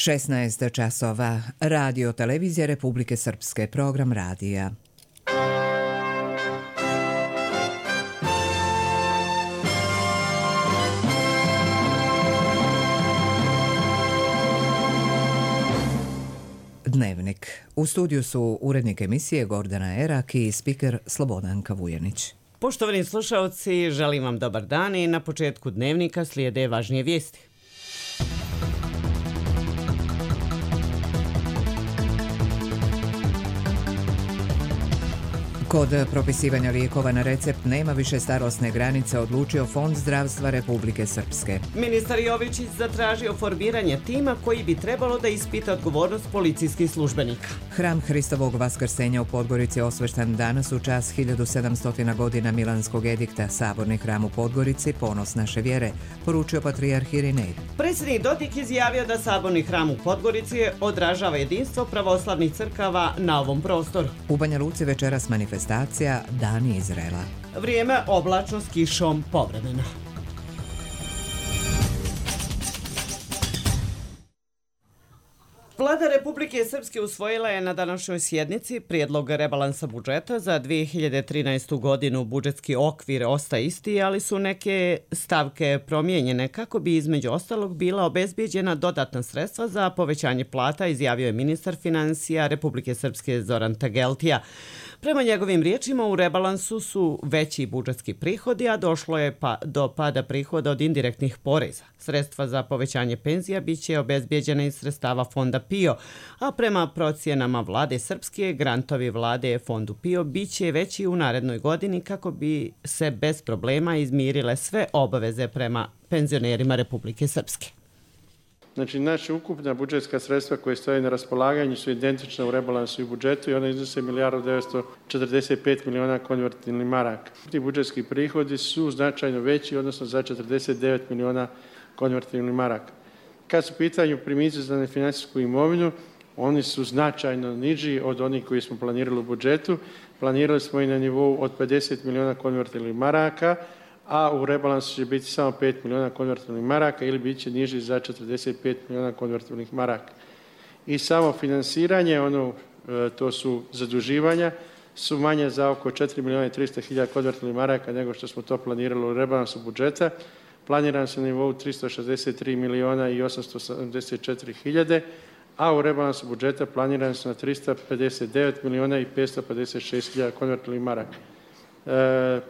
16 časova. Radio Televizija Republike Srpske. Program radija. Dnevnik. U studiju su urednik emisije Gordana Erak i spiker Slobodanka Vujanić. Poštovani slušalci, želim vam dobar dan i na početku dnevnika slijede važnije vijesti. Kod propisivanja lijekova na recept nema više starosne granice, odlučio Fond zdravstva Republike Srpske. Ministar Jovičić zatražio formiranje tima koji bi trebalo da ispita odgovornost policijskih službenika. Hram Hristovog vaskrsenja u Podgorici osveštan danas u čast 1700 godina Milanskog edikta. Saborni hram u Podgorici, ponos naše vjere, poručio patrijarh Irinej. Predsjednik Dodik izjavio da Saborni hram u Podgorici odražava jedinstvo pravoslavnih crkava na ovom prostoru. U Banja Luci večeras manifestacija Dani Izraela. Vrijeme oblačno s kišom povremeno. Vlada Republike Srpske usvojila je na današnjoj sjednici prijedlog rebalansa budžeta za 2013. godinu. Budžetski okvir ostaje isti, ali su neke stavke promijenjene kako bi između ostalog bila obezbijeđena dodatna sredstva za povećanje plata, izjavio je ministar financija Republike Srpske Zoran Tageltija. Prema njegovim riječima u rebalansu su veći budžetski prihodi, a došlo je do pada prihoda od indirektnih poreza. Sredstva za povećanje penzija biće obezbijeđene iz sredstava Fonda PIO, a prema procjenama vlade Srpske, grantovi vlade Fondu PIO biće veći u narednoj godini kako bi se bez problema izmirile sve obaveze prema penzionerima Republike Srpske. Znači, naša ukupna budžetska sredstva koje stoje na raspolaganju su identična u rebalansu i budžetu i ona iznose 1.945 miliona konvertibilnih maraka. Ti budžetski prihodi su značajno veći, odnosno za 49 miliona konvertibilnih maraka. Kad su u pitanju primici za nefinансijsku imovinu, oni su značajno niži od onih koji smo planirali u budžetu. Planirali smo i na nivou od 50 miliona konvertibilnih maraka, a u rebalansu će biti samo 5 miliona konvertibilnih maraka ili bit će niži za 45 miliona konvertibilnih maraka. I samo finansiranje, to su zaduživanja, su manje za oko 4 miliona i 300 hiljada konvertibilnih maraka nego što smo to planirali u rebalansu budžeta. Planiran se na nivou 363 miliona i 874 hiljade, a u rebalansu budžeta planiran se na 359 miliona i 556 hiljada konvertibilnih maraka.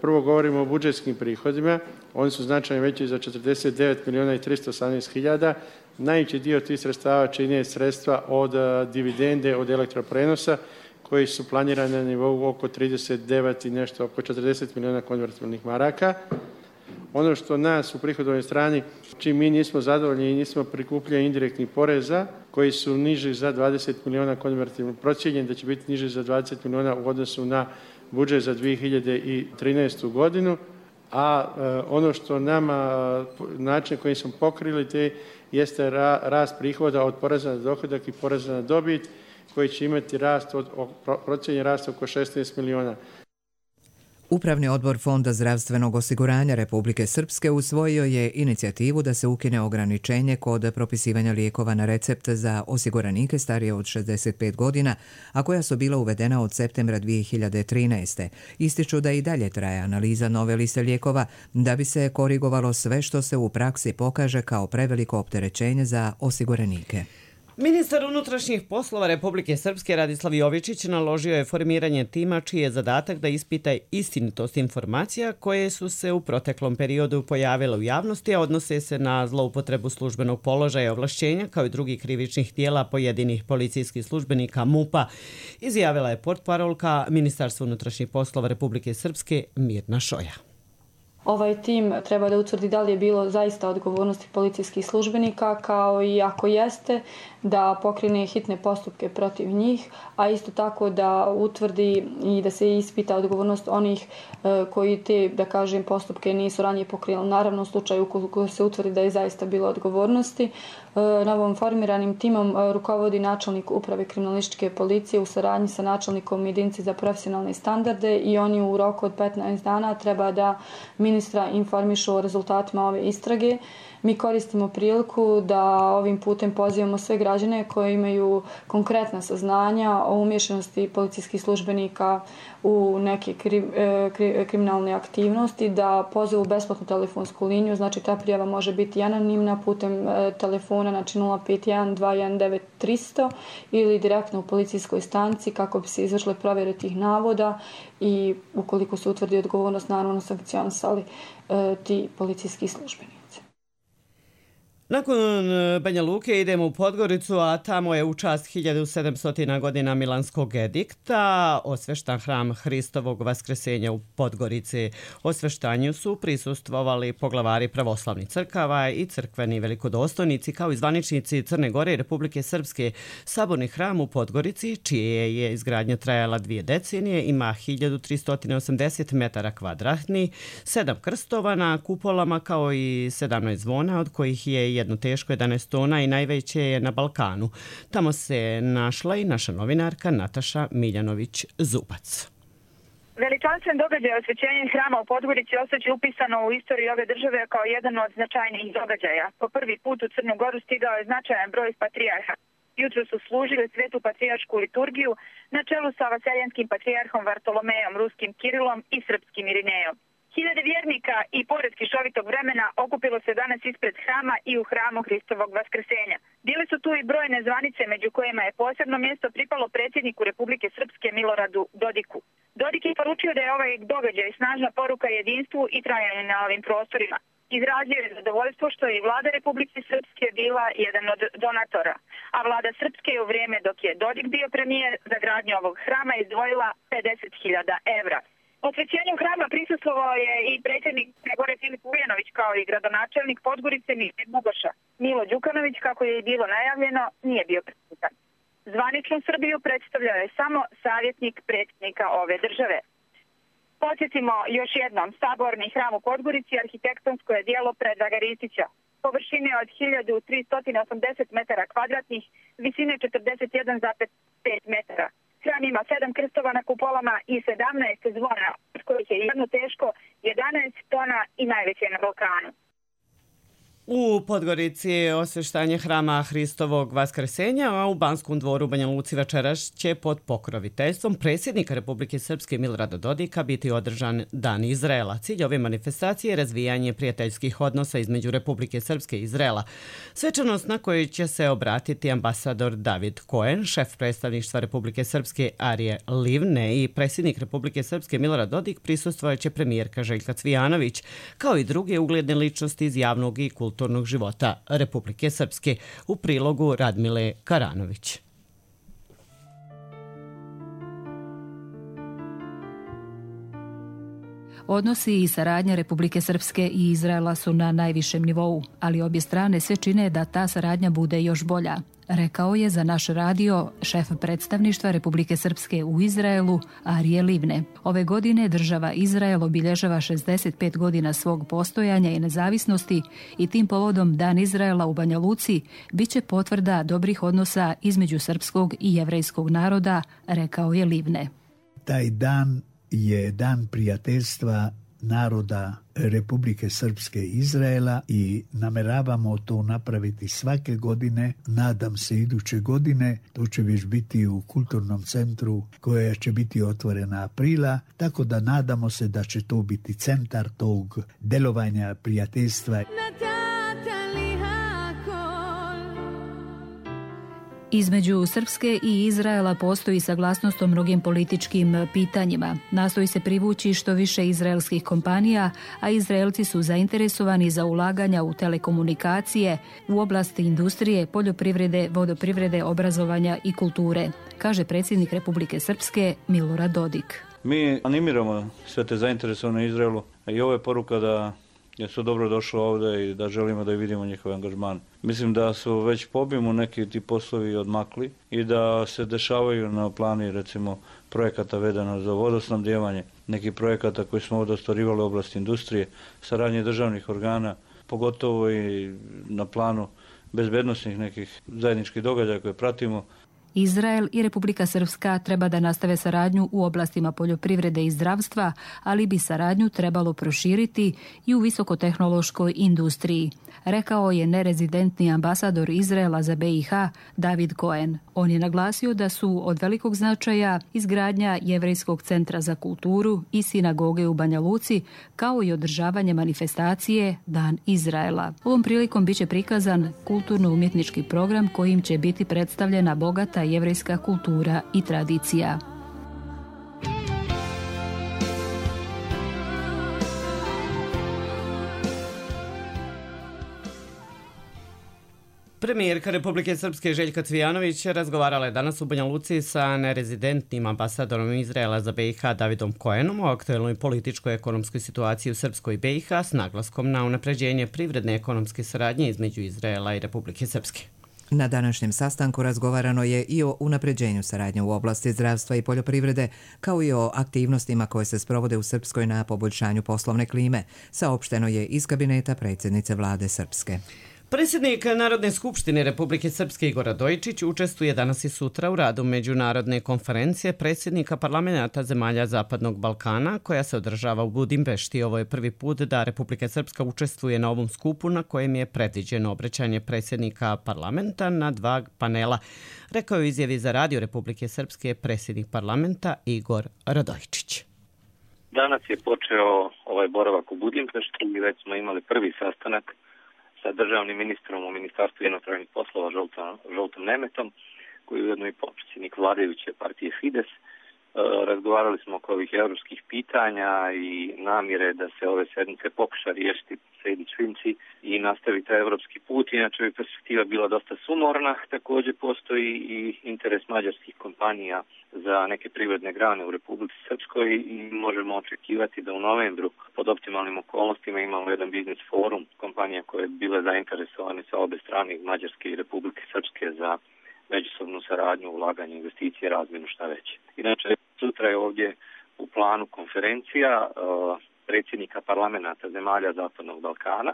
Prvo govorimo o budžetskim prihodima, oni su značajno veći za 49 miliona i 318 hiljada. Najveći dio tih sredstava čine sredstva od dividende od elektroprenosa koji su planirani na nivou oko 39 i nešto, oko 40 miliona konvertibilnih maraka. Ono što nas u prihodovnoj strani, čim mi nismo zadovoljni i nismo prikupljeni indirektnih poreza koji su niži za 20 miliona konvertibilnih, procijenjeni da će biti niži za 20 miliona u odnosu na budžet za 2013. godinu, a ono što nama, način kojim smo pokrili jeste rast prihoda od poreza na dohodak i poreza na dobit, koji će imati procijenjen rast oko 16 miliona. Upravni odbor Fonda zdravstvenog osiguranja Republike Srpske usvojio je inicijativu da se ukine ograničenje kod propisivanja lijekova na recept za osiguranike starije od 65 godina, a koja su bila uvedena od septembra 2013. Ističu da i dalje traje analiza nove liste lijekova da bi se korigovalo sve što se u praksi pokaže kao preveliko opterećenje za osiguranike. Ministar unutrašnjih poslova Republike Srpske Radislav Jovičić naložio je formiranje tima čiji je zadatak da ispita istinitost informacija koje su se u proteklom periodu pojavile u javnosti, a odnose se na zloupotrebu službenog položaja i ovlašćenja kao i drugih krivičnih djela pojedinih policijskih službenika MUP-a, izjavila je portparolka Ministarstva unutrašnjih poslova Republike Srpske Mirna Šoja. Ovaj tim treba da utvrdi da li je bilo zaista odgovornosti policijskih službenika, kao i ako jeste, da pokrene hitne postupke protiv njih, a isto tako da utvrdi i da se ispita odgovornost onih koji te, da kažem, postupke nisu ranije pokrenuli. Naravno, u slučaju ukoliko se utvrdi da je zaista bilo odgovornosti. Novom formiranim timom rukovodi načelnik uprave kriminalističke policije u saradnji sa načelnikom jedinice za profesionalne standarde i oni u roku od 15 dana treba da ministra informišu o rezultatima ove istrage. Mi koristimo priliku da ovim putem pozivamo sve građane koji imaju konkretna saznanja o umješanosti policijskih službenika u neke kriminalne aktivnosti, da pozovu besplatnu telefonsku liniju, znači ta prijava može biti anonimna putem telefona, znači 051 219 300 ili direktno u policijskoj stanici kako bi se izvršile provjere tih navoda i ukoliko se utvrdi odgovornost, naravno sankcionisali ti policijski službenici. Nakon Banja Luke idemo u Podgoricu, a tamo je u čast 1700 godina Milanskog edikta osveštan hram Hristovog Vaskresenja u Podgorici. Osveštanju su prisustvovali poglavari pravoslavnih crkava i crkveni velikodostojnici kao i zvaničnici Crne Gore i Republike Srpske. Saborni hram u Podgorici, čije je izgradnja trajala 2 decenije, ima 1380 metara kvadratnih, 7 krstova na kupolama kao i 17 zvona, od kojih je jedno teško 11 tona i najveće je na Balkanu. Tamo se našla i naša novinarka Nataša Miljanović-Zubac. Veličanstven događaj osvećenja hrama u Podgorici ostaće upisano u istoriju ove države kao jedan od značajnijih događaja. Po prvi put u Crnu Goru stigao je značajan broj patrijarha. Jutro su služili svetu patrijaršku liturgiju na čelu sa vaseljanskim patrijarhom Vartolomejom, ruskim Kirilom i srpskim Irinejom. Hiljade vjernika i pored kišovitog vremena okupilo se danas ispred hrama i u hramu Hristovog Vaskresenja. Bile su tu i brojne zvanice, među kojima je posebno mjesto pripalo predsjedniku Republike Srpske Miloradu Dodiku. Dodik je poručio da je ovaj događaj snažna poruka jedinstvu i trajanju na ovim prostorima. Izrazio je zadovoljstvo što je i vlada Republike Srpske bila jedan od donatora, a vlada Srpske je u vrijeme dok je Dodik bio premijer za gradnju ovog hrama izdvojila 50.000 evra. Osvećenju hrama prisustvovao je i predsjednik Crne Gore Filip Vujanović kao i gradonačelnik Podgorice Mile Bugoša. Milo Đukanović, kako je i bilo najavljeno, nije bio prisutan. Zvaničnu Srbiju predstavljao je samo savjetnik predsjednika ove države. Podsjetimo još jednom, saborni hram u Podgorici arhitektonsko je djelo Predraga Ristića. Površine od 1380 metara kvadratnih, visine 41,5 metara. Hram ima 7 krstova na kupolama i 17 zvona, od kojih je jedno teško 11 tona i najveće na Balkanu. U Podgorici je osveštanje hrama Hristovog Vaskresenja, a u Banskom dvoru u Banja Luci večeras će pod pokroviteljstvom predsjednika Republike Srpske Milorada Dodika biti održan Dan Izraela. Cilj ove manifestacije je razvijanje prijateljskih odnosa između Republike Srpske i Izraela. Svečanost na kojoj će se obratiti ambasador David Cohen, šef predstavništva Republike Srpske Arije Livne i predsjednik Republike Srpske Milorad Dodik, prisustvovat će premijerka Željka Cvijanović, kao i druge ugledne ličnosti iz javnog i kulturnog života Republike Srpske, u prilogu Radmile Karanović. Odnosi i saradnja Republike Srpske i Izraela su na najvišem nivou, ali obje strane sve čine da ta saradnja bude još bolja, rekao je za naš radio šef predstavništva Republike Srpske u Izraelu Arije Livne. Ove godine država Izrael obilježava 65 godina svog postojanja i nezavisnosti i tim povodom Dan Izraela u Banja Luci biće potvrda dobrih odnosa između srpskog i jevrejskog naroda, rekao je Livne. Taj dan je dan prijateljstva naroda Republike Srpske i Izraela i nameravamo to napraviti svake godine. Nadam se iduće godine, to će već biti u kulturnom centru koja će biti otvorena aprila, tako da nadamo se da će to biti centar tog delovanja prijateljstva. Između Srpske i Izraela postoji saglasnost o mnogim političkim pitanjima. Nastoji se privući što više izraelskih kompanija, a Izraelci su zainteresovani za ulaganja u telekomunikacije, u oblasti industrije, poljoprivrede, vodoprivrede, obrazovanja i kulture, kaže predsjednik Republike Srpske Milorad Dodik. Mi animiramo sve te zainteresovane Izraelu i ovo je poruka da su dobro došli ovdje i da želimo da vidimo njihov angažman. Mislim da su već po obimu neki ti poslovi odmakli i da se dešavaju na plani recimo projekata vedano za vodosnabdijevanje, nekih projekata koji smo ovdje ostvarivali u oblasti industrije, saradnje državnih organa, pogotovo i na planu bezbednosnih nekih zajedničkih događaja koje pratimo. Izrael i Republika Srpska treba da nastave saradnju u oblastima poljoprivrede i zdravstva, ali bi saradnju trebalo proširiti i u visokotehnološkoj industriji, rekao je nerezidentni ambasador Izraela za BiH David Cohen. On je naglasio da su od velikog značaja izgradnja Jevrejskog centra za kulturu i sinagoge u Banja Luci, kao i održavanje manifestacije Dan Izraela. Ovom prilikom biće prikazan kulturno-umjetnički program kojim će biti predstavljena bogata jevrejska kultura i tradicija. Premijerka Republike Srpske Željka Cvijanović razgovarala je danas u Banja Luci sa nerezidentnim ambasadorom Izraela za BiH Davidom Cohenom o aktuelnoj političkoj ekonomskoj situaciji u Srpskoj BiH s naglaskom na unapređenje privredne ekonomske saradnje između Izraela i Republike Srpske. Na današnjem sastanku razgovarano je i o unapređenju saradnje u oblasti zdravstva i poljoprivrede, kao i o aktivnostima koje se sprovode u Srpskoj na poboljšanju poslovne klime, saopšteno je iz kabineta predsjednice vlade Srpske. Predsjednik Narodne skupštine Republike Srpske Igor Radojičić učestvuje danas i sutra u radu međunarodne konferencije predsjednika parlamenata zemalja Zapadnog Balkana koja se održava u Budimpešti. Ovo je prvi put da Republika Srpska učestvuje na ovom skupu na kojem je predviđeno obraćanje predsjednika parlamenta na 2 panela, rekao je u izjavi za radio Republike Srpske predsjednik parlamenta Igor Radojičić. Danas je počeo ovaj boravak u Budimpešti i već smo imali prvi sastanak sa državnim ministrom u Ministarstvu inostranih poslova Žoltom Nemetom, koji je ujedno i potpredsjednik vladajuće partije Fides. Razgovarali smo oko ovih evropskih pitanja i namjere da se ove sedmice pokuša riješiti Sejdić-Finci i nastavi taj evropski put. Inače bi perspektiva bila dosta sumorna. Također postoji i interes mađarskih kompanija za neke privredne grane u Republici Srpskoj i možemo očekivati da u novembru pod optimalnim okolnostima imamo jedan biznis forum kompanija koje bi bile zainteresovane sa obe strane, Mađarske i Republike Srpske, za međusobnu saradnju, ulaganje, investicije, razmjenu, šta već. Inače, sutra je ovdje u planu konferencija predsjednika parlamenta zemalja Zapadnog Balkana.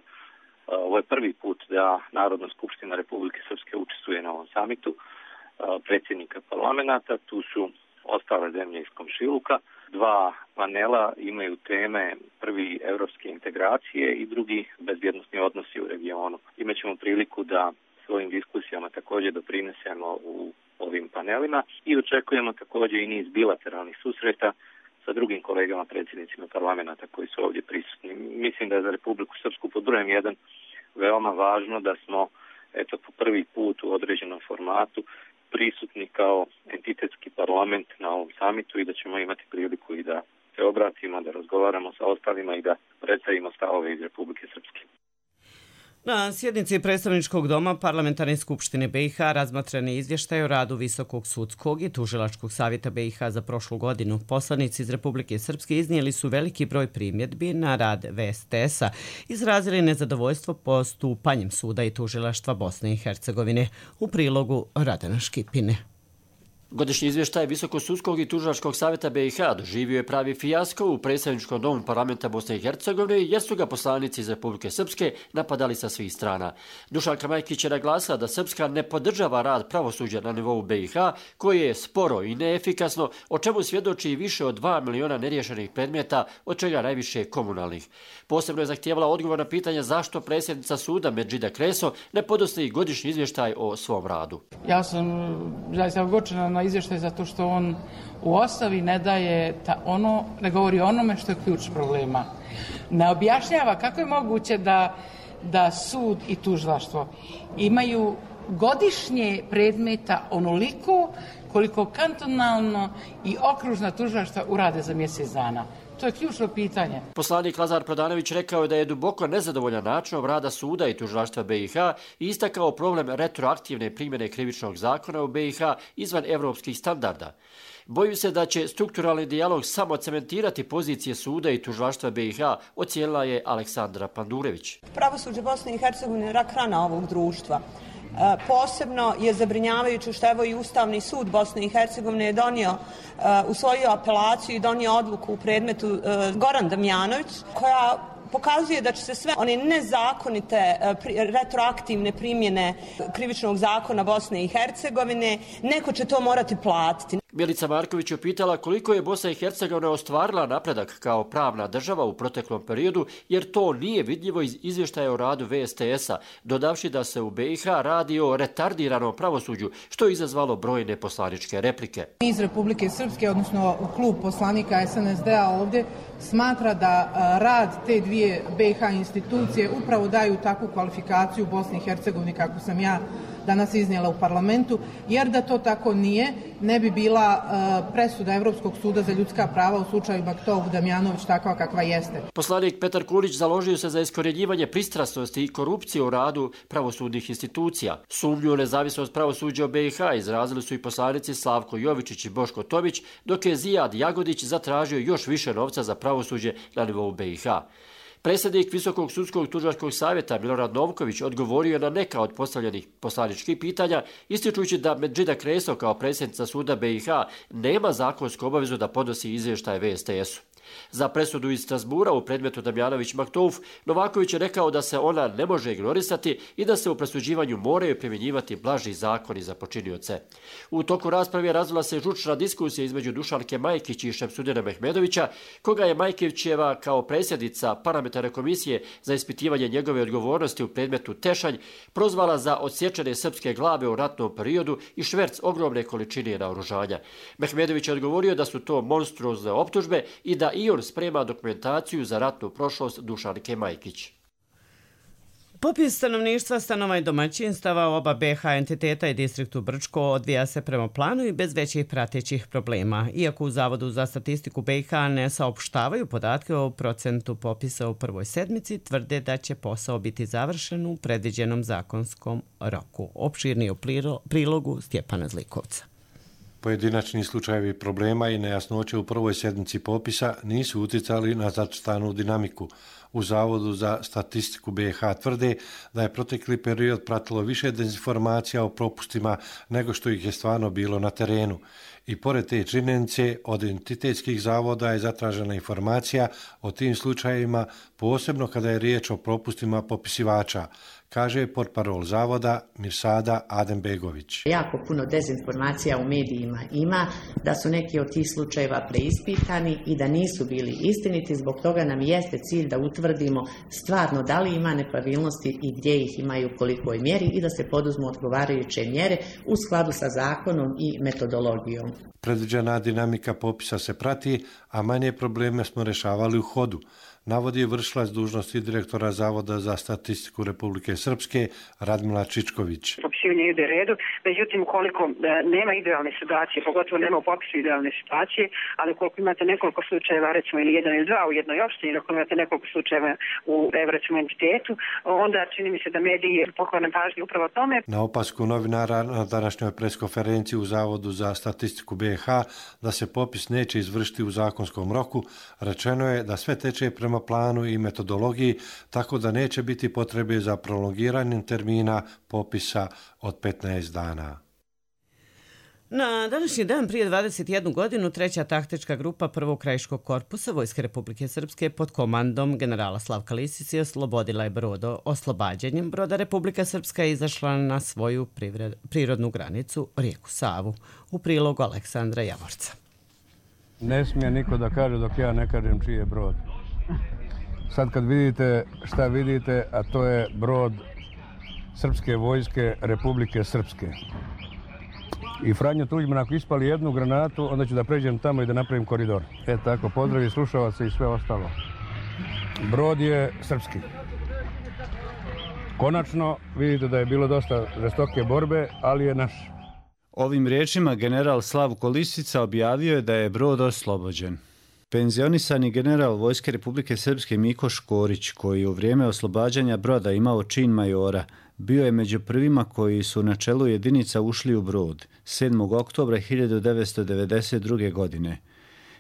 Ovo je prvi put da Narodna skupština Republike Srpske učestvuje na ovom samitu predsjednika parlamenta. Tu su ostale zemlje iz komšiluka. 2 panela imaju teme, prvi evropske integracije i drugi bezbjednosni odnosi u regionu. Imaćemo priliku da svojim diskusijama također doprinesemo u ovim panelima i očekujemo također i niz bilateralnih susreta sa drugim kolegama predsjednicima parlamenta koji su ovdje prisutni. Mislim da je za Republiku Srpsku pod brojem 1 veoma važno da smo po prvi put u određenom formatu prisutni kao entitetski parlament na ovom samitu i da ćemo imati priliku i da se obratimo, da razgovaramo sa ostalima i da predstavimo stavove iz Republike Srpske. Na sjednici predstavničkog doma Parlamentarne skupštine BiH razmatran je izvještaj o radu Visokog sudskog i tužilačkog savjeta BiH za prošlu godinu. Poslanici iz Republike Srpske iznijeli su veliki broj primjedbi na rad VSTS-a, izrazili nezadovoljstvo postupanjem suda i tužilaštva Bosne i Hercegovine. U prilogu Radana Škipine. Godišnji izvještaj Visokosudskog i tužilačkog savjeta BiH doživio je pravi fijasko u predsjedničkom domu parlamenta Bosne i Hercegovine jer su ga poslanici iz Republike Srpske napadali sa svih strana. Dušanka Majkić je naglasila da Srpska ne podržava rad pravosuđa na nivou BiH koje je sporo i neefikasno, o čemu svjedoči više od 2 miliona neriješenih predmeta, od čega najviše komunalnih. Posebno je zahtijevala odgovor na pitanje zašto predsjednica suda Medžida Kreso ne podnosi godišnji izvještaj o svom radu. Ja sam zaista ogorčena na izvještaj zato što on u osnovi ne daje ne govori o onome što je ključ problema. Ne objašnjava kako je moguće da sud i tužilaštvo imaju godišnje predmeta onoliko koliko kantonalno i okružna tužilaštva urade za mjesec dana. To je ključno pitanje. Poslanik Lazar Prodanović rekao je da je duboko nezadovoljan načinom rada suda i tužilaštva BiH i istakao problem retroaktivne primjene krivičnog zakona u BiH izvan evropskih standarda. Bojim se da će strukturalni dijalog samo cementirati pozicije suda i tužilaštva BiH, ocijenila je Aleksandra Pandurević. Pravosuđe Bosne i Hercegovine je rak rana ovog društva. Posebno je zabrinjavajuće što evo i Ustavni sud Bosne i Hercegovine je usvojio apelaciju i donio odluku u predmetu Goran Damjanović, koja pokazuje da će se sve one nezakonite retroaktivne primjene krivičnog zakona Bosne i Hercegovine, neko će to morati platiti. Milica Marković je pitala koliko je Bosna i Hercegovina ostvarila napredak kao pravna država u proteklom periodu, jer to nije vidljivo iz izvještaja o radu VSTS-a, dodavši da se u BiH radi o retardiranom pravosuđu, što je izazvalo brojne poslaničke replike. Iz Republike Srpske, odnosno klub poslanika SNSD-a ovdje, smatra da rad te dvije BiH institucije upravo daju takvu kvalifikaciju Bosni i Hercegovini kako sam ja danas iznijela u parlamentu, jer da to tako nije, ne bi bila presuda Evropskog suda za ljudska prava u slučaju Maktov-Damjanović takva kakva jeste. Poslanik Petar Kulić založio se za iskorjenjivanje pristrasnosti i korupcije u radu pravosudnih institucija. Sumnju u nezavisnost pravosuđa u BiH izrazili su i poslanici Slavko Jovičić i Boško Tomić, dok je Zijad Jagodić zatražio još više novca za pravosuđe na nivou BiH. Predsjednik Visokog sudskog tužilačkog savjeta Milorad Novković odgovorio je na neka od postavljenih poslaničkih pitanja, ističujući da Medžida Kreso kao predsjednica suda BiH nema zakonsku obavezu da podnosi izvještaje VSTS-u. Za presudu iz Strasbura u predmetu Damjanović-Maktouf, Novaković je rekao da se ona ne može ignorisati i da se u presuđivanju moraju primjenjivati blaži zakoni za počinioce. U toku rasprave razvila se žučna diskusija između Dušanke Majkić i Šemsudina Mehmedovića, koga je Majkićeva kao predsjednica parlamentarne komisije za ispitivanje njegove odgovornosti u predmetu Tešanj prozvala za odsječene srpske glave u ratnom periodu i šverc ogromne količine naoružanja. Mehmedović je odgovorio da su to monstruozne optužbe i da i on sprema dokumentaciju za ratnu prošlost Dušanke Majkić. Popis stanovništva, stanova i domaćinstava oba BiH entiteta i distriktu Brčko odvija se prema planu i bez većih pratećih problema. Iako u Zavodu za statistiku BiH ne saopštavaju podatke o procentu popisa u prvoj sedmici, tvrde da će posao biti završen u predviđenom zakonskom roku. Opširni u prilogu Stjepana Zlikovca. Pojedinačni slučajevi problema i nejasnoće u prvoj sedmici popisa nisu uticali na zacrtanu dinamiku. U Zavodu za statistiku BiH tvrde da je protekli period pratilo više dezinformacija o propustima nego što ih je stvarno bilo na terenu. I pored te činjenice, od identitetskih zavoda je zatražena informacija o tim slučajevima, posebno kada je riječ o propustima popisivača, kaže portparol zavoda Mirsada Adembegović. Jako puno dezinformacija u medijima ima, da su neki od tih slučajeva preispitani i da nisu bili istiniti, zbog toga nam jeste cilj da utvrdimo stvarno da li ima nepravilnosti i gdje ih ima i u kolikoj mjeri i da se poduzmu odgovarajuće mjere u skladu sa zakonom i metodologijom. Predviđena dinamika popisa se prati, a manje probleme smo rešavali u hodu, navodi vršilac dužnosti direktora Zavoda za statistiku Republike Srpske Radmila Čičković. Popisivanje ide redu, međutim ukoliko nema idealne situacije, pogotovo nema u popisu idealne situacije, ali ukoliko imate nekoliko slučajeva, recimo ili jedan ili dva u jednoj opštini, ukoliko imate nekoliko slučajeva u recimo entitetu, onda čini mi se da mediji poklone pažnju upravo tome. Na opasku novinara na današnjoj preskonferenciji u Zavodu za statistiku BiH da se popis neće izvršiti u zakonskom roku, rečeno je da sve teče prema planu i metodologiji, tako da neće biti potrebe za prolongiranjem termina popisa od 15 dana. Na današnji dan prije 21 godinu treća taktička grupa prvog krajiškog korpusa Vojske Republike Srpske pod komandom generala Slavka Lisice oslobodila je Brodo. Oslobađanjem broda Republika Srpska je izašla na svoju prirodnu granicu rijeku Savu. U prilogu Aleksandra Javorca. Ne smije niko da kaže dok ja ne kažem čiji je brod. Sad kad vidite šta vidite, a to je brod Srpske vojske Republike Srpske. I Franjo Tuđman, ako ispali jednu granatu, onda ću da pređem tamo i da napravim koridor. Tako, pozdravi slušavaca i sve ostalo. Brod je srpski. Konačno, vidite da je bilo dosta žestoke borbe, ali je naš. Ovim riječima general Slavko Lisica objavio je da je brod oslobođen. Penzionisani general Vojske Republike Srpske Miko Škorić, koji u vrijeme oslobađanja broda imao čin majora, bio je među prvima koji su na čelu jedinica ušli u brod 7. oktobra 1992. godine.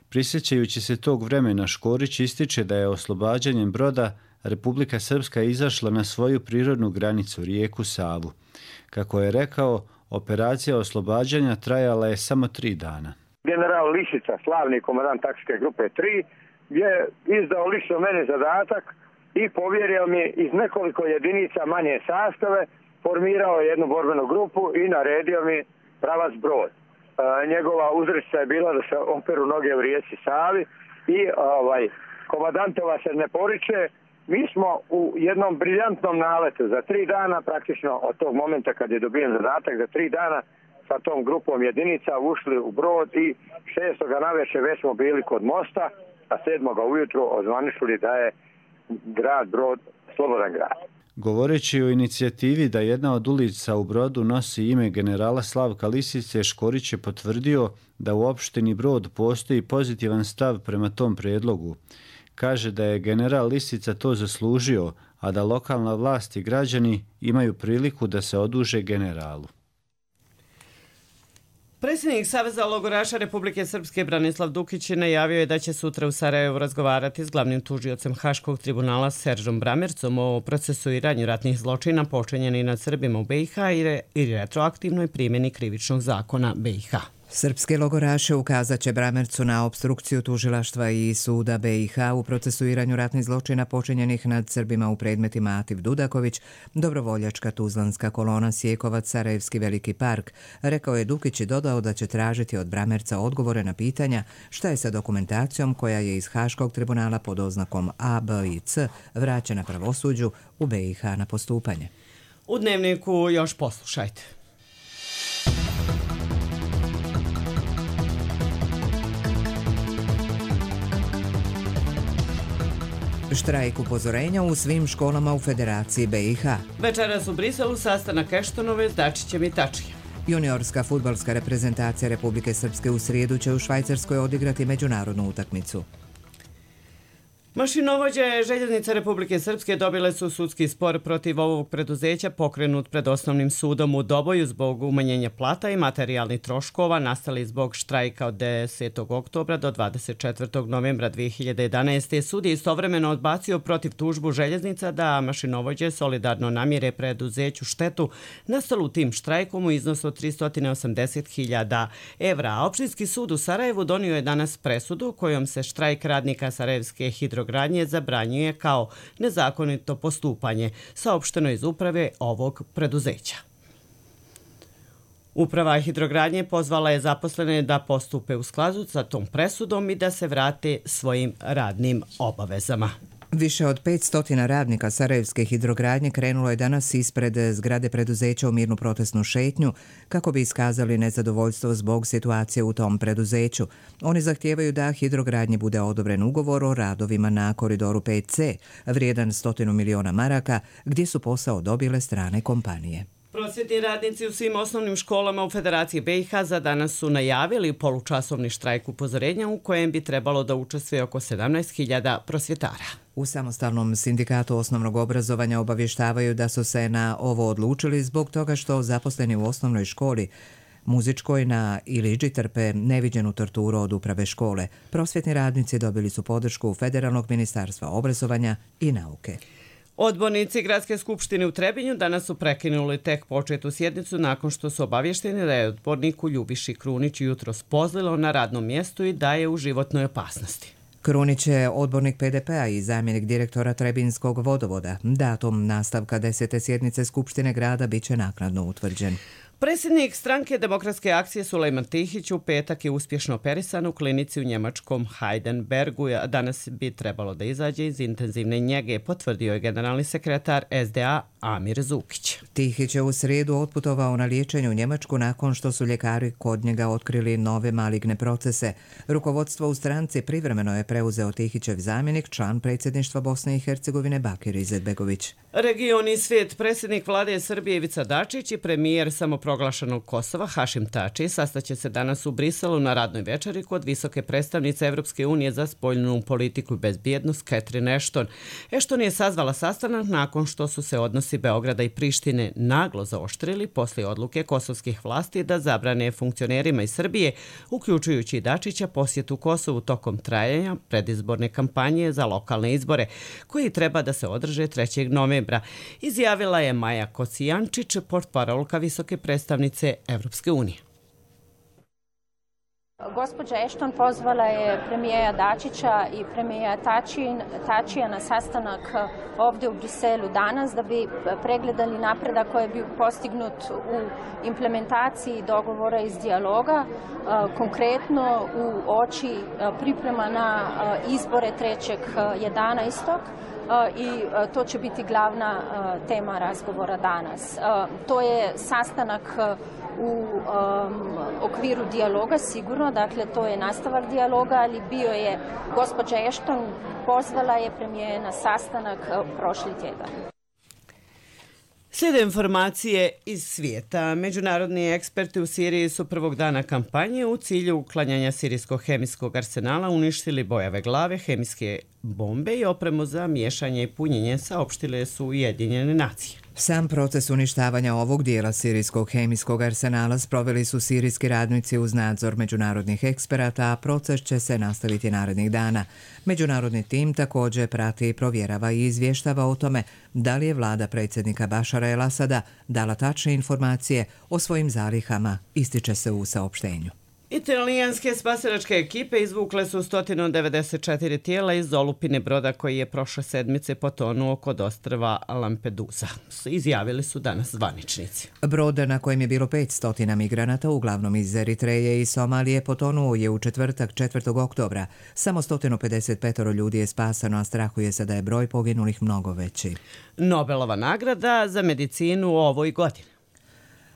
Prisjećajući se tog vremena, Škorić ističe da je oslobađanjem broda Republika Srpska izašla na svoju prirodnu granicu, rijeku Savu. Kako je rekao, operacija oslobađanja trajala je samo 3 dana. General Lisica, slavni komandant taktičke grupe 3, je izdao lično mene zadatak i povjerio mi iz nekoliko jedinica manje sastave, formirao jednu borbenu grupu i naredio mi pravac Brod. Njegova uzrečica je bila da se operu noge u rijeci Savi i komandantova se ne poriče. Mi smo u jednom briljantnom naletu za 3 dana, praktično od tog momenta kad je dobijen zadatak, za 3 dana sa tom grupom jedinica ušli u Brod i 6. navečer već smo bili kod mosta, a 7. ujutru ozvaničili da je grad Brod slobodan grad. Govoreći o inicijativi da jedna od ulica u Brodu nosi ime generala Slavka Lisice, Škorić je potvrdio da u opštini Brod postoji pozitivan stav prema tom prijedlogu. Kaže da je general Lisica to zaslužio, a da lokalna vlast i građani imaju priliku da se oduže generalu. Predsjednik Saveza logoraša Republike Srpske Branislav Dukić najavio je da će sutra u Sarajevu razgovarati s glavnim tužiocem Haškog tribunala Seržom Bramercom o procesuiranju ratnih zločina počinjenih nad Srbima u BiH i retroaktivnoj primjeni krivičnog zakona BiH. Srpske logoraše ukazat će Bramercu na opstrukciju tužilaštva i suda BiH u procesuiranju ratnih zločina počinjenih nad Srbima u predmetima Ativ Dudaković, Dobrovoljačka Tuzlanska kolona Sjekovac, Sarajevski Veliki park, rekao je Dukić i dodao da će tražiti od Bramerca odgovore na pitanja šta je sa dokumentacijom koja je iz Haškog tribunala pod oznakom A, B i C vraćena pravosuđu u BiH na postupanje. U Dnevniku još poslušajte. Štrajk upozorenja u svim školama u Federaciji BiH. Večeras u Briselu sastanak Eštonove s Dačićem i Tačijem. Juniorska fudbalska reprezentacija Republike Srpske u srijedu će u Švajcarskoj odigrati međunarodnu utakmicu. Mašinovođe Željeznice Republike Srpske dobile su sudski spor protiv ovog preduzeća pokrenut pred osnovnim sudom u Doboju zbog umanjenja plata i materijalnih troškova nastali zbog štrajka od 10. oktobra do 24. novembra 2011. Sud je istovremeno odbacio protiv tužbu Željeznica da mašinovođe solidarno namire preduzeću štetu nastalu tim štrajkom u iznosu od 380.000 evra. A opštinski sud u Sarajevu donio je danas presudu kojom se štrajk radnika Sarajevske hidrogradnje zabranjuje kao nezakonito postupanje, saopšteno iz uprave ovog preduzeća. Uprava hidrogradnje pozvala je zaposlene da postupe u skladu sa tom presudom i da se vrate svojim radnim obavezama. Više od 500 radnika Sarajevske hidrogradnje krenulo je danas ispred zgrade preduzeća u mirnu protestnu šetnju kako bi iskazali nezadovoljstvo zbog situacije u tom preduzeću. Oni zahtijevaju da hidrogradnji bude odobren ugovor o radovima na koridoru 5C, vrijedan 100 miliona maraka, gdje su posao dobile strane kompanije. Prosvjetni radnici u svim osnovnim školama u Federaciji BiH za danas su najavili polučasovni štrajk upozorenja u kojem bi trebalo da učestvuje oko 17.000 prosvjetara. U samostalnom sindikatu osnovnog obrazovanja obavještavaju da su se na ovo odlučili zbog toga što zaposleni u osnovnoj školi muzičkoj na Iliđi trpe neviđenu torturu od uprave škole. Prosvjetni radnici dobili su podršku Federalnog ministarstva obrazovanja i nauke. Odbornici Gradske skupštine u Trebinju danas su prekinuli tek početu sjednicu nakon što su obavješteni da je odborniku Ljubiši Krunić jutros pozlilo na radnom mjestu i da je u životnoj opasnosti. Krunić je odbornik PDP-a i zamjenik direktora Trebinskog vodovoda. Datum nastavka 10. sjednice Skupštine grada biće naknadno utvrđen. Predsjednik stranke Demokratske akcije Sulejman Tihić u petak je uspješno operisan u klinici u njemačkom Heidenbergu. Danas bi trebalo da izađe iz intenzivne njege, potvrdio je generalni sekretar SDA Amir Zukić. Tihić je u srijedu otputovao na liječenje u Njemačku nakon što su ljekari kod njega otkrili nove maligne procese. Rukovodstvo u stranci privremeno je preuzeo Tihićev zamjenik, član predsjedništva Bosne i Hercegovine Bakir Izetbegović. Region i svijet, predsjednik vlade Srbije Ivica Dačić i premijer samoproglašenog Kosova Hašim Tači sastaće se danas u Briselu na radnoj večeri kod visoke predstavnice Evropske unije za spoljnu politiku i bezbjednost Catherine Ashton. Ashton je sazvala sastanak nakon što su se odnosi Beograda i Prištine naglo zaoštrili poslije odluke kosovskih vlasti da zabrane funkcionerima iz Srbije, uključujući i Dačića, posjetu Kosovu tokom trajanja predizborne kampanje za lokalne izbore, koji treba da se održe 3. novembra, izjavila je Maja Kocijančić, portparolka visoke predstavnice Evropske unije. Gospođa Ashton pozvala je premijera Dačića i premijera Tačija na sastanak ovdje u Briselu danas da bi pregledali napredak koji bi postignut u implementaciji dogovora iz dijaloga, konkretno u oči priprema na izbore 3.11. I to će biti glavna tema razgovora danas. To je sastanak u okviru dijaloga sigurno, dakle to je nastavak dijaloga, ali bio je gospođa Ashton pozvala je premijera na sastanak prošli tjedan. Slijede informacije iz svijeta. Međunarodni eksperti u Siriji su prvog dana kampanje u cilju uklanjanja sirijskog hemijskog arsenala uništili bojave glave, hemijske bombe i opremu za miješanje i punjenje, saopštile su Ujedinjene nacije. Sam proces uništavanja ovog dijela sirijskog hemijskog arsenala sproveli su sirijski radnici uz nadzor međunarodnih eksperata, a proces će se nastaviti narednih dana. Međunarodni tim također prati, provjerava i izvještava o tome da li je vlada predsjednika Bašara el-Asada dala tačne informacije o svojim zalihama, ističe se u saopštenju. Italijanske spasilačke ekipe izvukle su 194 tijela iz olupine broda koji je prošle sedmice potonuo kod ostrva Lampedusa. Izjavili su danas zvaničnici. Brod na kojem je bilo 500 migranata, uglavnom iz Eritreje i Somalije, potonuo je u četvrtak 4. oktobra. Samo 155 ljudi je spasano, a strahuje se da je broj poginulih mnogo veći. Nobelova nagrada za medicinu u ovoj godini.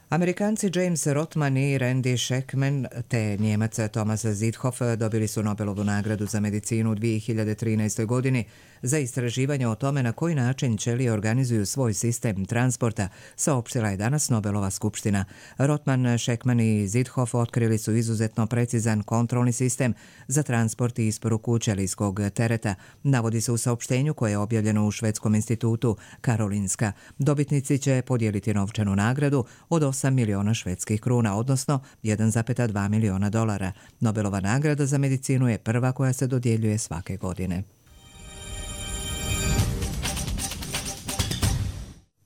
Amerikanci James Rothman i Randy Schekman te Njemac Thomas Zithoff dobili su Nobelovu nagradu za medicinu u 2013. godini za istraživanje o tome na koji način ćelije organizuju svoj sistem transporta, saopštila je danas Nobelova skupština. Rothman, Schekman i Zithoff otkrili su izuzetno precizan kontrolni sistem za transport i isporuku ćelijskog tereta, navodi se u saopštenju koje je objavljeno u švedskom institutu Karolinska. Dobitnici će podijeliti novčanu nagradu od 8 miliona švedskih kruna, odnosno 1,2 miliona dolara. Nobelova nagrada za medicinu je prva koja se dodjeljuje svake godine.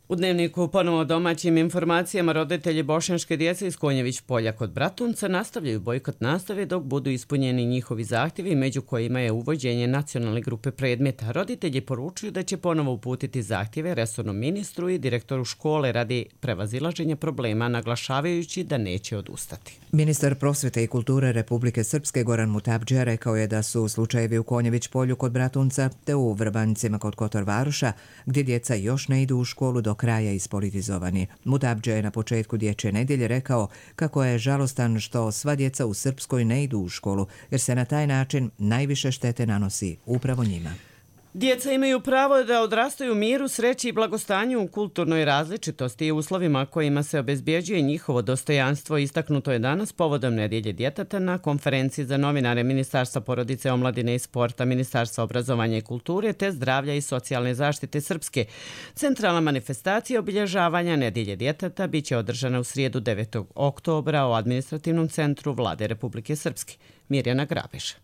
U Dnevniku ponovo domaćim informacijama roditelji bošnjačke djece iz Konjević polja kod Bratunca nastavljaju bojkot nastave dok budu ispunjeni njihovi zahtjevi, među kojima je uvođenje nacionalne grupe predmeta. Roditelji poručuju da će ponovo uputiti zahtjeve resornom ministru i direktoru škole radi prevazilaženja problema, naglašavajući da neće odustati. Ministar prosvjete i kulture Republike Srpske Goran Mutabdžija rekao je da su slučajevi u Konjević polju kod Bratunca te u Vrbancima kod Kotor Varoša, gdje djeca još ne idu u školu, do kraja ispolitizovani. Mutabdžija je na početku dječje nedjelje rekao kako je žalostan što sva djeca u Srpskoj ne idu u školu, jer se na taj način najviše štete nanosi upravo njima. Djeca imaju pravo da odrastaju u miru, sreći i blagostanju u kulturnoj različitosti i uslovima kojima se obezbjeđuje njihovo dostojanstvo. Istaknuto je danas povodom Nedjelje djeteta na konferenciji za novinare Ministarstva porodice, omladine i sporta, Ministarstva obrazovanja i kulture te zdravlja i socijalne zaštite Srpske. Centralna manifestacija obilježavanja Nedjelje djeteta biće održana u srijedu 9. oktobra u administrativnom centru Vlade Republike Srpske. Mirjana Grabeša.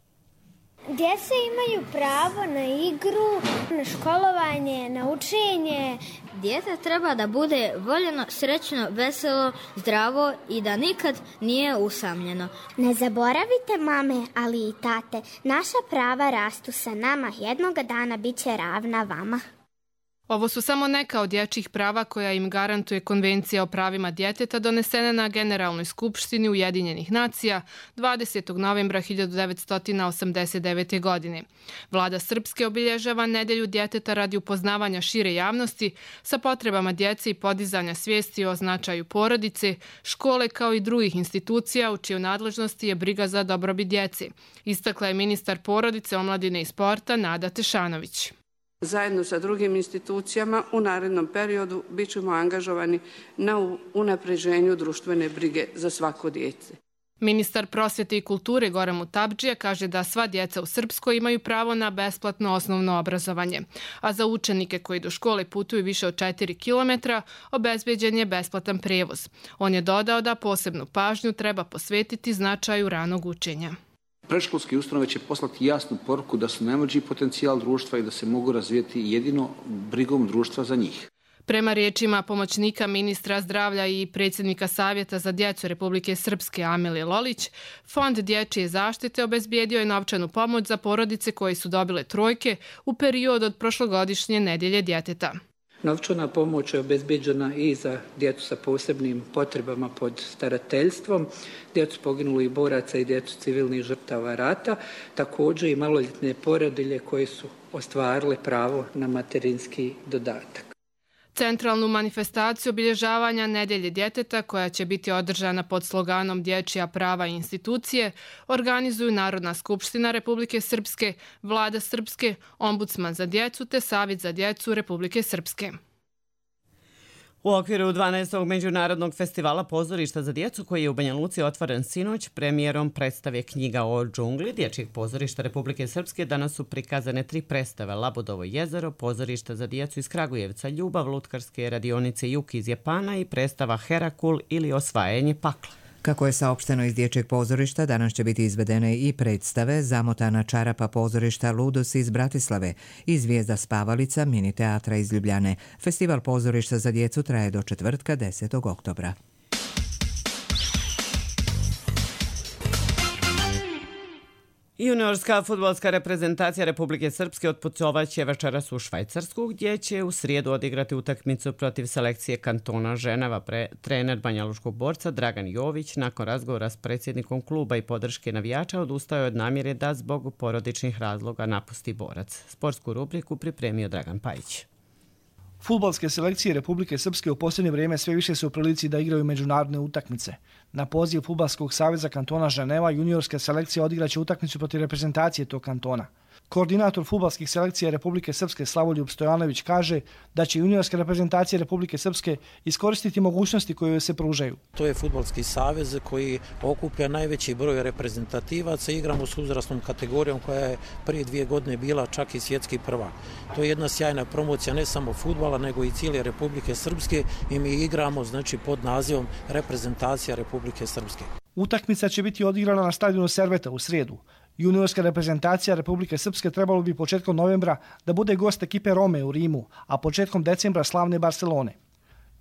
Djeca imaju pravo na igru, na školovanje, na učenje. Dijete treba da bude voljeno, srećno, veselo, zdravo i da nikad nije usamljeno. Ne zaboravite, mame, ali i tate, naša prava rastu sa nama, jednoga dana bit će ravna vama. Ovo su samo neka od dječjih prava koja im garantuje Konvencija o pravima djeteta donesena na Generalnoj skupštini Ujedinjenih nacija 20. novembra 1989. godine. Vlada Srpske obilježava Nedjelju djeteta radi upoznavanja šire javnosti sa potrebama djece i podizanja svijesti o značaju porodice, škole kao i drugih institucija u čijoj nadležnosti je briga za dobrobit djece, istakla je ministar porodice, omladine i sporta Nada Tešanović. Zajedno sa drugim institucijama u narednom periodu bit ćemo angažovani na unapređenju društvene brige za svako dijete. Ministar prosvjete i kulture Goran Mutabdžija kaže da sva djeca u Srpskoj imaju pravo na besplatno osnovno obrazovanje, a za učenike koji do škole putuju više od 4 km obezbeđen je besplatan prijevoz. On je dodao da posebnu pažnju treba posvetiti značaju ranog učenja. Predškolske ustanove će poslati jasnu poruku da su najmlađi potencijal društva i da se mogu razvijeti jedino brigom društva za njih. Prema riječima pomoćnika ministra zdravlja i predsjednika Savjeta za djecu Republike Srpske Amilije Lolić, Fond dječje zaštite obezbijedio je novčanu pomoć za porodice koje su dobile trojke u periodu od prošlogodišnje nedjelje djeteta. Novčana pomoć je obezbijeđena i za djecu sa posebnim potrebama pod starateljstvom, djecu poginulih boraca i djecu civilnih žrtava rata, također i maloljetne porodilje koje su ostvarile pravo na materinski dodatak. Centralnu manifestaciju obilježavanja nedjelje djeteta, koja će biti održana pod sloganom Dječja prava i institucije, organizuju Narodna skupština Republike Srpske, Vlada Srpske, Ombudsman za djecu te Savjet za djecu Republike Srpske. U okviru 12. Međunarodnog festivala pozorišta za djecu, koji je u Banja Luci otvoren sinoć, premijerom predstave Knjiga o džungli Dječjeg pozorišta Republike Srpske, danas su prikazane 3 predstave: Labudovo jezero, pozorišta za djecu iz Kragujevca, Ljubav, lutkarske radionice Juk iz Japana i predstava Herakul ili Osvajanje pakla. Kako je saopšteno iz Dječjeg pozorišta, danas će biti izvedene i predstave Zamotana čarapa pozorišta Ludos iz Bratislave i Zvijezda spavalica mini teatra iz Ljubljane. Festival pozorišta za djecu traje do četvrtka 10. oktobra. Juniorska fudbalska reprezentacija Republike Srpske otputovaće večeras u Švajcarsku, gdje će u srijedu odigrati utakmicu protiv selekcije kantona Ženeva. Trener banjalučkog borca Dragan Jović nakon razgovora s predsjednikom kluba i podrške navijača odustao je od namjere da zbog porodičnih razloga napusti borac. Sportsku rubriku pripremio Dragan Pajić. Fudbalske selekcije Republike Srpske u posljednje vrijeme sve više su u prilici da igraju međunarodne utakmice. Na poziv Fudbalskog saveza kantona Ženeva juniorska selekcija odigraće utakmicu protiv reprezentacije tog kantona. Koordinator fudbalskih selekcija Republike Srpske Slavoljub Stojanović kaže da će juniorska reprezentacija Republike Srpske iskoristiti mogućnosti koje joj se pružaju. To je fudbalski savez koji okuplja najveći broj reprezentativaca. Igramo s uzrasnom kategorijom koja je prije 2 godine bila čak i svjetski prvak. To je jedna sjajna promocija ne samo fudbala nego i cijele Republike Srpske i mi igramo pod nazivom reprezentacija Republike Srpske. Utakmica će biti odigrana na stadionu Serveta u srijedu. Juniorska reprezentacija Republike Srpske trebalo bi početkom novembra da bude gost ekipe Rome u Rimu, a početkom decembra slavne Barcelone.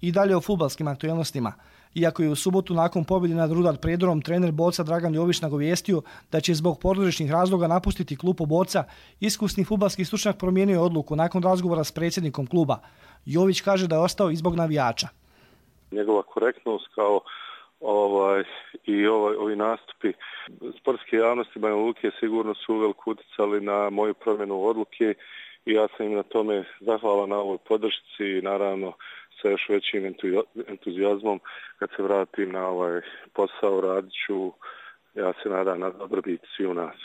I dalje o fudbalskim aktualnostima. Iako je u subotu nakon pobjede nad Rudar Predorom trener borca Dragan Jović nagovijestio da će zbog porodičnih razloga napustiti klubu borca, iskusni fudbalski stručnjak promijenio odluku nakon razgovora s predsjednikom kluba. Jović kaže da je ostao i zbog navijača. Njegova korektnost kao ovi nastupi sportske javnosti Banja Luke sigurno su uveliko utjecali na moju promjenu odluke i ja sam im na tome zahvalan na ovoj podršci i naravno sa još većim entuzijazmom kad se vratim na ovaj posao radit ću, ja se nadam, na dobrobit svi u nas.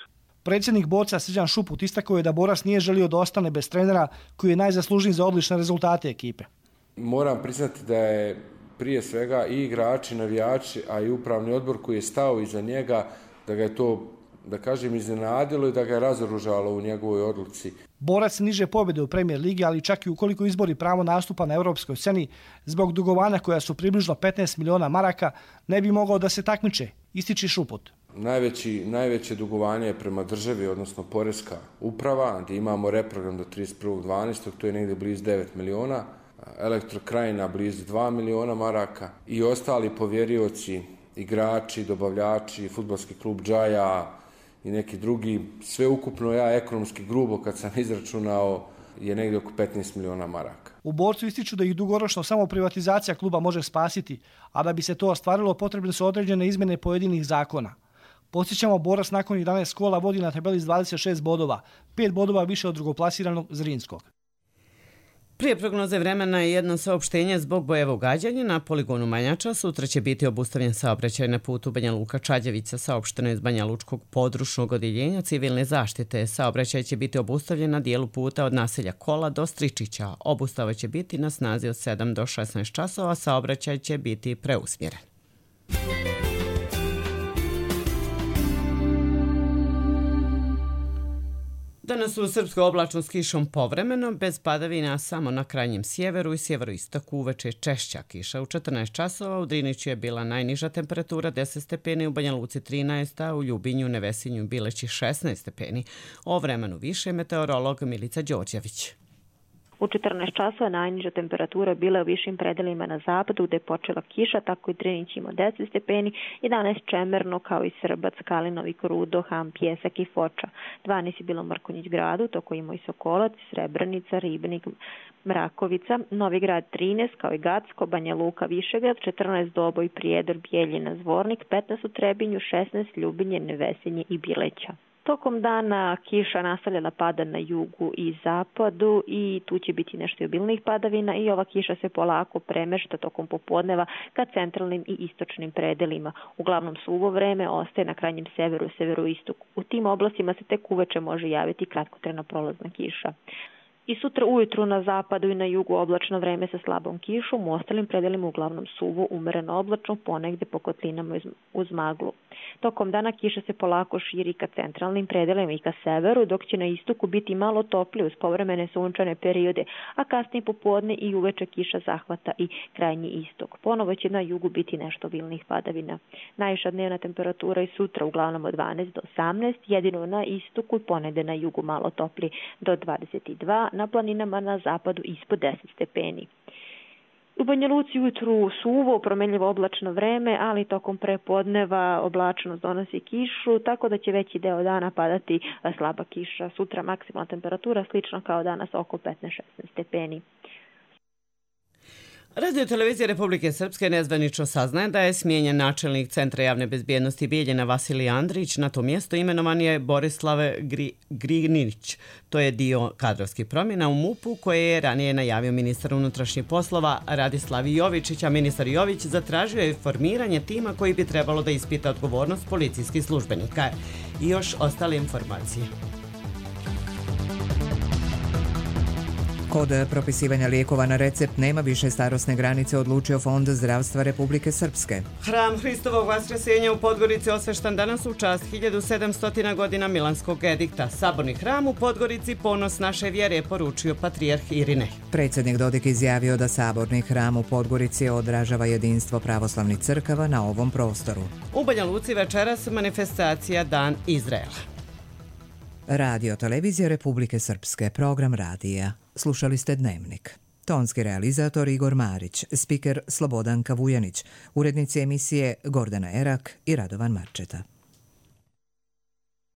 Predsjednik borca Srđan Šuput istakao je da borac nije želio da ostane bez trenera koji je najzaslužniji za odlične rezultate ekipe. Moram priznati da je prije svega i igrači, navijači, a i upravni odbor koji je stao iza njega, da ga je to, da kažem, iznenadilo i da ga je razoružalo u njegovoj odluci. Borac niže pobjede u Premier ligi, ali čak i ukoliko izbori pravo nastupa na europskoj sceni, zbog dugovanja koja su približno 15 miliona maraka, ne bi mogao da se takmiče, ističe Šuput. Najveće dugovanje je prema državi, odnosno poreska uprava, gdje imamo reprogram do 31.12. to je negdje blizu 9 miliona. Elektrokrajina blizu 2 miliona maraka i ostali povjerioci, igrači, dobavljači, fudbalski klub Džaja i neki drugi. Sve ukupno ja ekonomski grubo kad sam izračunao je negdje oko 15 miliona maraka. U borcu ističu da ih dugoročno samo privatizacija kluba može spasiti, a da bi se to ostvarilo potrebne su određene izmjene pojedinih zakona. Podsjećamo, borac nakon 11 kola vodi na tabeli s 26 bodova, 5 bodova više od drugoplasiranog Zrinskog. Prije prognoze vremena je jedno saopštenje zbog bojevog gađanja na poligonu Manjača. Sutra će biti obustavljen saobraćaj na putu Banja Luka-Čađavica, saopšteno iz Banja Lučkog područnog odjeljenja civilne zaštite. Saobraćaj će biti obustavljen na dijelu puta od naselja Kola do Stričića. Obustava će biti na snazi od 7 do 16 časova, saobraćaj će biti preusmjeren. Danas u Srpskoj oblačno s kišom povremeno, bez padavina samo na krajnjem sjeveru i sjeveroistoku uveče češća kiša. U 14 časova u Driniću je bila najniža temperatura 10 stepeni, u Banja Luci 13, a u Ljubinju, Nevesinju i Bileći 16 stepeni. O vremenu više meteorolog Milica Đorđević. U 14 časova najniža temperatura bila u višim predelima na zapadu gde je počela kiša, tako i Drinić imao 10 stepeni, 11 Čemerno kao i Srbac, Kalinovik, Rudo, Ham, Pjesak i Foča. 12 je bilo Mrkonjić gradu, toko imao i Sokolac, Srebrenica, Ribnik, Mrakovica, Novi Grad 13 kao i Gacko, Banja Luka, Višegrad, 14 Doboj, Prijedor, Bijeljina, Zvornik, 15 u Trebinju, 16 Ljubinje, Nevesinje i Bileća. Tokom dana kiša nastavljala pada na jugu i zapadu i tu će biti nešto obilnih padavina i ova kiša se polako premešta tokom popodneva ka centralnim i istočnim predelima. Uglavnom suvo vreme ostaje na krajnjem severu i severoistoku. U tim oblastima se tek uveče može javiti kratkotrajna prolazna kiša. I sutra ujutru na zapadu i na jugu oblačno vreme sa slabom kišom, u ostalim predelima uglavnom suvo, umereno oblačno, ponegde po kotlinama uz maglu. Tokom dana kiša se polako širi ka centralnim predelima i ka severu, dok će na istoku biti malo toplije uz povremene sunčane periode, a kasnije popodne i uveče kiša zahvata i krajnji istok. Ponovo će na jugu biti nešto obilnih padavina. Najviša dnevna temperatura i sutra uglavnom od 12 do 18, jedino na istoku i ponegde na jugu malo toplije do 22, na planinama na zapadu ispod 10 stepeni. U Banja Luci ujutru suvo, promenljivo oblačno vreme, ali tokom prepodneva oblačnost donosi kišu, tako da će veći deo dana padati slaba kiša. Sutra maksimalna temperatura slično kao danas oko 15-16 stepeni. Radio televizija Republike Srpske nezvanično saznaje da je smijenjen načelnik Centra javne bezbjednosti Bijeljina Vasilij Andrić. Na to mjesto imenovan je Borislav Grinić. To je dio kadrovskih promjena u MUP-u koje je ranije najavio ministar unutrašnjih poslova Radislav Jovičić, a ministar Jović zatražio je formiranje tima koji bi trebalo da ispita odgovornost policijskih službenika. I još ostale informacije. Kod propisivanja lijekova na recept nema više starosne granice, odlučio Fond zdravstva Republike Srpske. Hram Hristovog Vaskrsenja u Podgorici osveštan danas u čast 1700 godina Milanskog edikta. Saborni hram u Podgorici ponos naše vjere, poručio patrijarh Irinej. Predsjednik Dodik izjavio da Saborni hram u Podgorici odražava jedinstvo pravoslavnih crkava na ovom prostoru. U Banja Luci večeras manifestacija Dan Izraela. Radio televizija Republike Srpske, program radija. Slušali ste Dnevnik. Tonski realizator Igor Marić, spiker Slobodanka Vujanić, urednici emisije Gordana Erak i Radovan Marčeta.